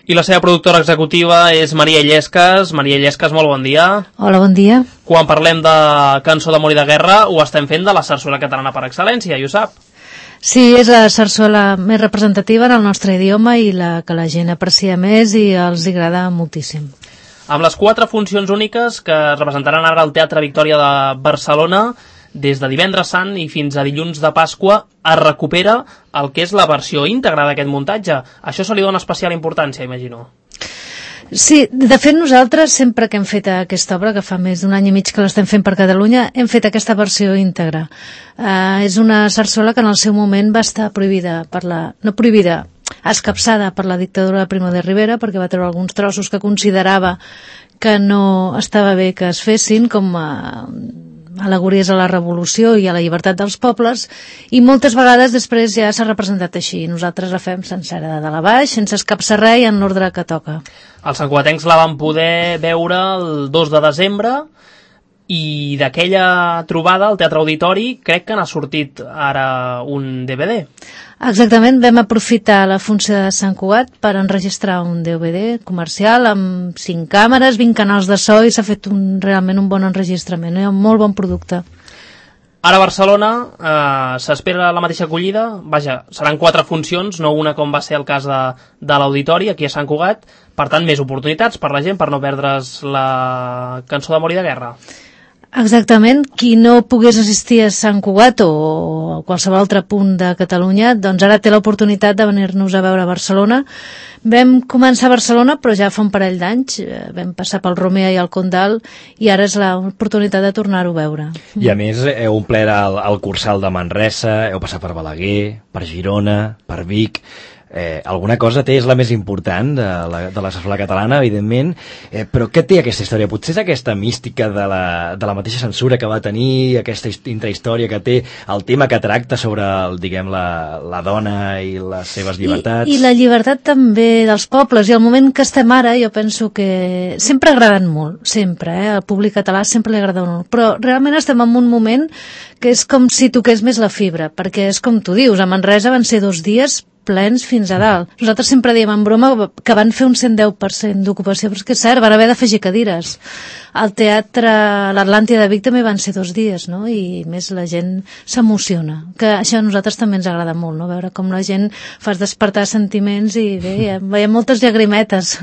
I la seva productora executiva és Maria Illescas. Maria Illescas, molt bon dia. Hola, bon dia. Quan parlem de Cançó d'amor i de guerra, ho estem fent de la sarsuela catalana per excel·lència, i ho sap. Sí, és la sarsuela més representativa en el nostre idioma i la que la gent aprecia més i els agrada moltíssim. Amb les 4 funcions úniques que es representaran ara al Teatre Victòria de Barcelona, des de divendres sant i fins a dilluns de Pasqua, es recupera el que és la versió íntegra d'aquest muntatge. Això se li dona especial importància, imagino. Sí, de fet nosaltres sempre que hem fet aquesta obra, que fa més d'un any i mig que l'estem fent per Catalunya, hem fet aquesta versió íntegra. És una sarsuela que en el seu moment va estar prohibida escapçada per la dictadura de Primo de Rivera, perquè va treure alguns trossos que considerava que no estava bé que es fessin, com al·legories a la revolució i a la llibertat dels pobles, i moltes vegades després ja s'ha representat així. Nosaltres la fem sencera de dalt a baix, sense escapçar res i en l'ordre que toca. Els santcugatencs la van poder veure el 2 de desembre i d'aquella trobada al Teatre Auditori crec que n'ha sortit ara un DVD. Exactament, vam aprofitar la funció de Sant Cugat per enregistrar un DVD comercial amb 5 càmeres, 20 canals de so, i s'ha fet realment un bon enregistrament, un molt bon producte. Ara a Barcelona s'espera la mateixa acollida. Vaja, seran 4 funcions, no una com va ser el cas de l'Auditori aquí a Sant Cugat. Per tant, més oportunitats per la gent per no perdre's la Cançó d'amor i de guerra. Exactament, qui no pogués assistir a Sant Cugat o a qualsevol altre punt de Catalunya, doncs ara té l'oportunitat de venir-nos a veure a Barcelona. Vam començar a Barcelona, però ja fa un parell d'anys, vam passar pel Romea i el Condal, i ara és l'oportunitat de tornar-ho a veure. I a més heu omplert el Cursal de Manresa, heu passat per Balaguer, per Girona, per Vic. Alguna cosa té, és la més important de la sarsuela catalana, evidentment, però què té aquesta història? Potser és aquesta mística de la mateixa censura que va tenir, aquesta intrahistòria que té, el tema que tracta sobre, diguem, la dona i les seves llibertats. I la llibertat també dels pobles, i el moment que estem ara, jo penso que sempre ha agradat molt, sempre, al públic català sempre li agrada molt, però realment estem en un moment que és com si toqués més la fibra, perquè és com tu dius, a Manresa van ser 2 dies plens fins a dalt. Nosaltres sempre diem en broma que van fer un 110% d'ocupació, però és que és cert, van haver d'afegir cadires. Al teatre l'Atlàntida de Vic també van ser 2 dies, no? I més la gent s'emociona, que això a nosaltres també ens agrada molt, no? Veure com la gent fas despertar sentiments i bé, veiem moltes llagrimetes.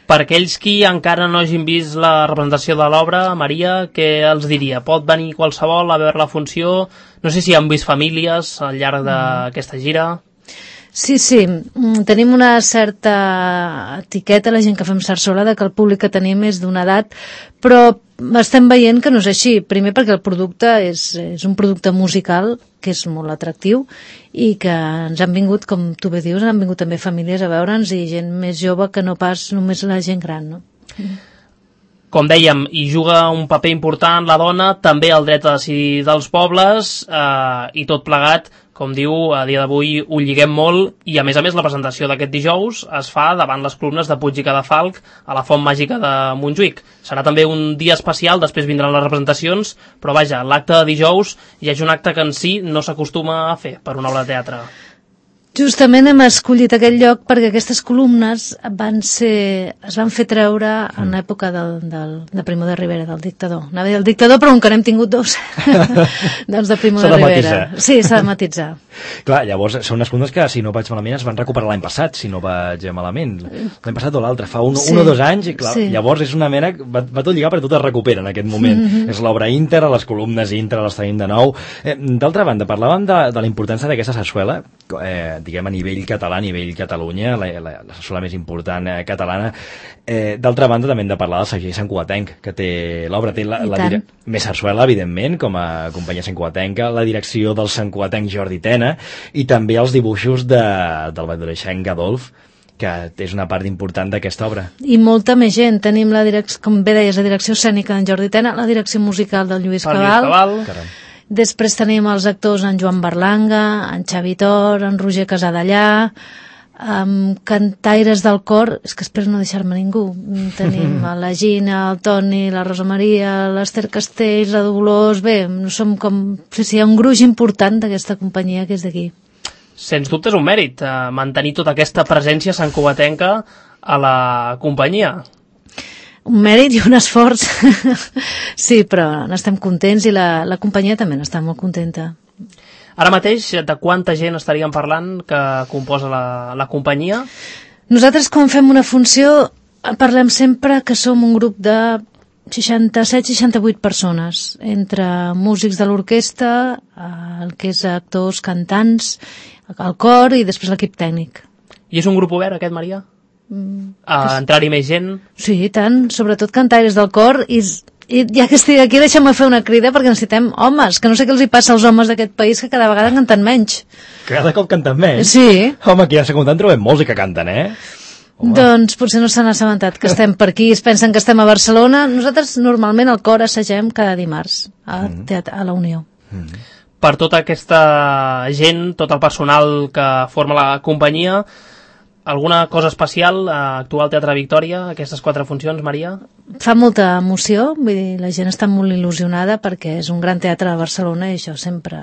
Per aquells qui encara no hagin vist la representació de l'obra, Maria, què els diria? Pot venir qualsevol a veure la funció? No sé si han vist famílies al llarg d'aquesta gira. Sí, tenim una certa etiqueta, la gent que fem sarsuela, de que el públic que tenim és d'una edat, però estem veient que no és així. Primer perquè el producte és un producte musical que és molt atractiu i que ens han vingut, com tu bé dius, han vingut també famílies a veure'ns i gent més jove que no pas només la gent gran, no? Com dèiem, hi juga un paper important la dona, també el dret a decidir dels pobles, i tot plegat, com diu, a dia d'avui ho lliguem molt, i a més la presentació d'aquest dijous es fa davant les columnes de Puig i Cadafalch a la Font Màgica de Montjuïc. Serà també un dia especial, després vindran les representacions, però vaja, l'acte de dijous ja és un acte que en si no s'acostuma a fer per una obra de teatre. Justament hem escollit aquest lloc perquè aquestes columnes es van fer treure en l'època de Primo de Rivera, del dictador. Anava a dir el dictador, però encara hem tingut 2. Doncs de Primo de Rivera. Sí, s'ha de matisar. Clar, llavors són unes columnes que, si no vaig malament, es van recuperar l'any passat, si no vaig malament. L'any passat o l'altre, fa un o 2 anys, i clar, llavors és una mena, va tot lligar, però tot es recupera en aquest moment. És l'obra íntegra, les columnes íntegres les tenim de nou. D'altra banda, parlàvem de la importància d'aquesta sarsuela, diguem, a nivell català, a nivell Catalunya, la sarsuela més important catalana. D'altra banda, també hem de parlar del segell santcugatenc, que té l'obra, té més sarsuela, evidentment, com a companyia santcugatenca, la direcció del santcugatenc Jordi Tena, i també els dibuixos del madureixenc Adolf, que és una part important d'aquesta obra. I molta més gent. Tenim, com bé deies, la direcció escènica d'en Jordi Tena, la direcció musical del Lluís Cabal. Després tenim els actors en Joan Berlanga, en Xavi Tor, en Roger Casadellà, cantaires del cor, és que espero no deixar-me ningú. Tenim la Gina, el Toni, la Rosa Maria, l'Ester Castells, la Dolors, bé, som com... Sí, hi ha un gruix important d'aquesta companyia que és d'aquí. Sens dubte és un mèrit, mantenir tota aquesta presència santcugatenca a la companyia. Un mèrit i un esforç. Sí, però n'estem contents i la companyia també n'està molt contenta. Ara mateix, de quanta gent estaríem parlant que composa la companyia? Nosaltres, quan fem una funció, parlem sempre que som un grup de 67-68 persones, entre músics de l'orquestra, el que és actors, cantants, el cor i després l'equip tècnic. I és un grup obert, aquest, Maria? A entrar-hi més gent? Sí, tant, sobretot cantaires del cor, i ja que estic aquí deixa'm fer una crida perquè necessitem homes, que no sé què els hi passa als homes d'aquest país que cada vegada canten menys. Cada cop canten menys? Sí. Home, aquí a Secundant trobem molts que canten, Home. Doncs potser no s'han assabentat que estem per aquí, es pensen que estem a Barcelona. Nosaltres normalment al cor assagem cada dimarts a la Unió. Per tota aquesta gent, tot el personal que forma la companyia, alguna cosa especial a actuar al Teatre Victòria, aquestes 4 funcions, Maria? Fa molta emoció, vull dir, la gent està molt il·lusionada perquè és un gran teatre de Barcelona i això sempre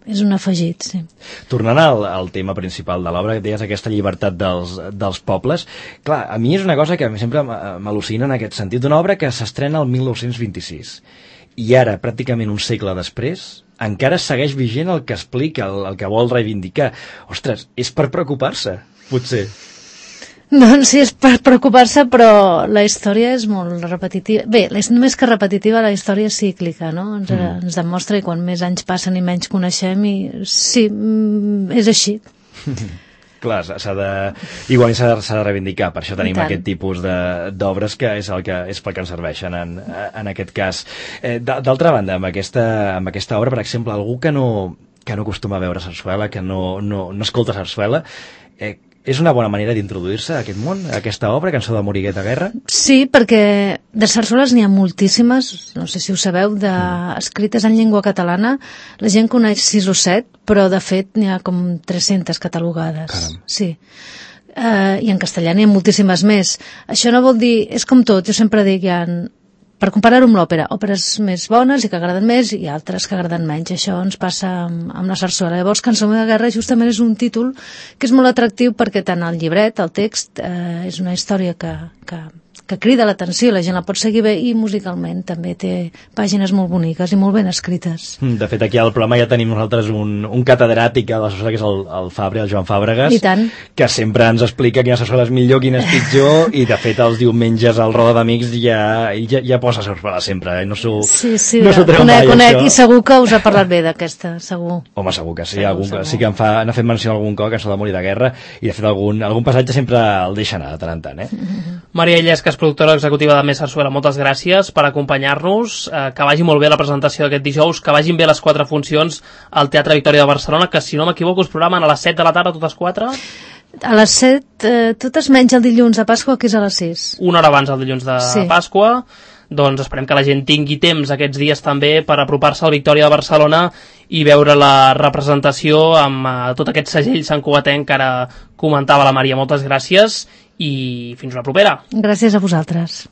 és un afegit, sí. Tornant al tema principal de l'obra, que deies aquesta llibertat dels pobles, clar, a mi és una cosa que sempre m'al·lucina en aquest sentit, d'una obra que s'estrena el 1926 i ara, pràcticament un segle després, encara segueix vigent el que explica, el que vol reivindicar. Ostres, és per preocupar-se, potser. Doncs sí, és per preocupar-se, però la història és molt repetitiva. Bé, només que repetitiva, la història és cíclica, no? Ens demostra que quan més anys passen i menys coneixem, i sí, és així. Clar, igual s'ha de reivindicar, per això tenim aquest tipus d'obres que és pel que ens serveixen en aquest cas. D'altra banda, amb aquesta obra, per exemple, algú que no acostuma a veure sarsuela, que no escolta sarsuela, és una bona manera d'introduir-se a aquest món, a aquesta obra, Cançó de Morigueta Guerra? Sí, perquè de sarsueles n'hi ha moltíssimes, no sé si ho sabeu, escrites en llengua catalana. La gent coneix 6 o 7, però de fet n'hi ha com 300 catalogades. Caram. Sí. I en castellà n'hi ha moltíssimes més. Això no vol dir, és com tot, jo sempre dic, per comparar-ho amb l'òpera, òperes més bones i que agraden més i altres que agraden menys. Això ens passa amb la sarsuela. Llavors, Cançó de Guerra justament és un títol que és molt atractiu perquè tant el llibret, el text, és una història que crida l'atenció, la gent la pot seguir bé, i musicalment també té pàgines molt boniques i molt ben escrites. De fet, aquí al programa ja tenim nosaltres un catedràtic a la sarsuela, que és el Fabri, el Joan Fàbregas, i tant, que sempre ens explica quina sarsuela és millor, quina és pitjor, i de fet els diumenges al Roda d'Amics ja posa sarsuela sempre, no s'ho treu mai, conec, i segur que us ha parlat bé d'aquesta, segur. Home, segur que sí, segur. Sí que n'ha fet menció algun cop, Cançó de Morir de Guerra, i de fet algun passatge sempre el deixa anar de tant en tant, Maria Illescas, productora executiva de Més Sarsuela, moltes gràcies per acompanyar-nos, que vagi molt bé la presentació d'aquest dijous, que vagin bé les 4 funcions al Teatre Victòria de Barcelona, que si no m'equivoco us programen a les 7 de la tarda totes 4? A les 7, totes menys el dilluns de Pasqua, que és a les 6. Una hora abans del dilluns de Pasqua. Doncs esperem que la gent tingui temps aquests dies també per apropar-se al Victòria de Barcelona i veure la representació amb tot aquest segell santcugatenc que ara comentava la Maria. Moltes gràcies i fins una propera. Gràcies a vosaltres.